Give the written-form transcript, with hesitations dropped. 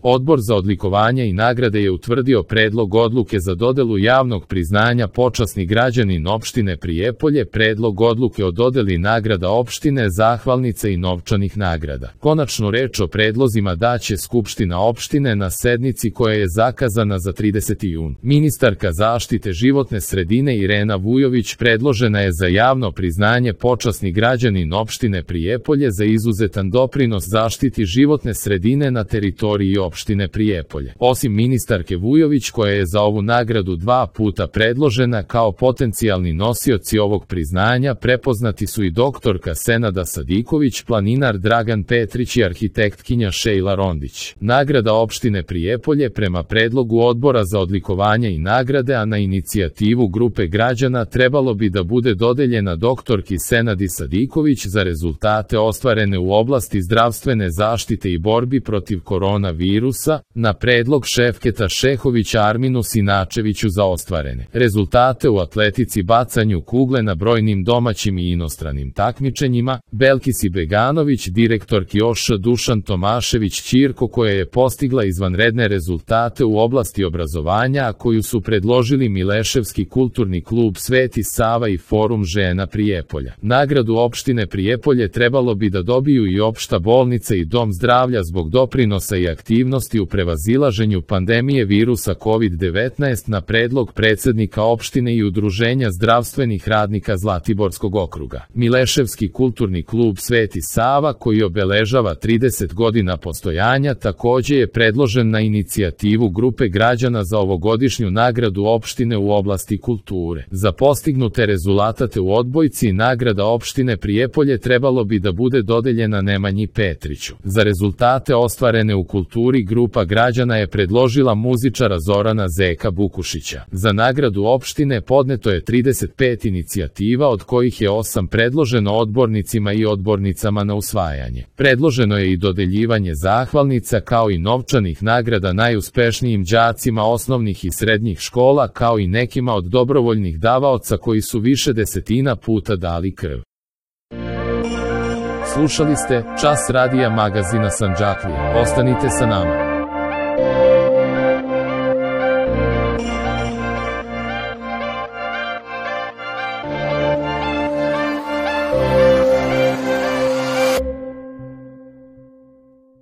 Odbor za odlikovanja i nagrade je utvrdio predlog odluke za dodelu javnog priznanja počasni građanin opštine Prijepolje, predlog odluke o dodeli nagrada opštine, zahvalnice i novčanih nagrada. Konačnu reč o predlozima daće Skupština opštine na sednici koja je zakazana za 30. jun. Ministarka zaštite životne sredine Irena Vujović predložena je za javno priznanje počasni građanin opštine Prijepolje za izuzetan doprinos zaštiti životne sredine na teritoriji opštine Prijepolje. Osim ministarke Vujović, koja je za ovu nagradu 2 puta predložena kao potencijalni nosioci ovog priznanja, prepoznati su i doktorka Senada Sadiković, planinar Dragan Petrić i arhitektkinja Šejla Rondić. Nagrada opštine Prijepolje prema predlogu Odbora za odlikovanja i nagrade, a na inicijativu grupe građana, trebalo bi da bude dodeljena doktorki Senadi Sadiković za rezultate ostvarene u oblasti zdravstvene zaštite i borbi protiv koronavirusa, na predlog Šefketa Šehovića Arminu Sinačeviću za ostvarene rezultate u atletici, bacanju kugle na brojnim domaćim i inostranim takmičenjima, Belkisi Beganović, direktorki OŠ Dušan Tomašević Ćirko, koja je postigla izvanredne rezultate u oblasti obrazovanja, a koju su predložili Mileševski kulturni klub Sveti Sava i Forum žena Prijepolja. Nagradu opštine Prijepolje trebalo bi da dobiju i opšta bolnica i dom zdravlja zbog doprinosa i aktivnosti u prevazilaženju pandemije virusa COVID-19 na predlog predsednika opštine i Udruženja zdravstvenih radnika Zlatiborskog okruga. Mileševski kulturni klub Sveti Sava, koji obeležava 30 godina postojanja, takođe je predložen na inicijativu grupe građana za ovogodišnju nagradu opštine u oblasti kulture. Za postignute rezultate u odbojci nagrada opštine Prijepolje trebalo bi da bude dodeljena Nemanji Petriću. Za rezultate ostvarene u kulturi grupa građana je predložila muzičara Zorana Zeka Bukušića. Za nagradu opštine podneto je 35 inicijativa, od kojih je 8 predloženo odbornicima i odbornicama na usvajanje. Predloženo je i dodeljivanje zahvalnica kao i novčanih nagrada najuspešnijim đacima osnovnih i srednjih škola, kao i nekima od dobrovoljnih davaoca koji su više desetina puta dali krv. Slušali ste Čas radija magazina Sandžaklija. Ostanite sa nama.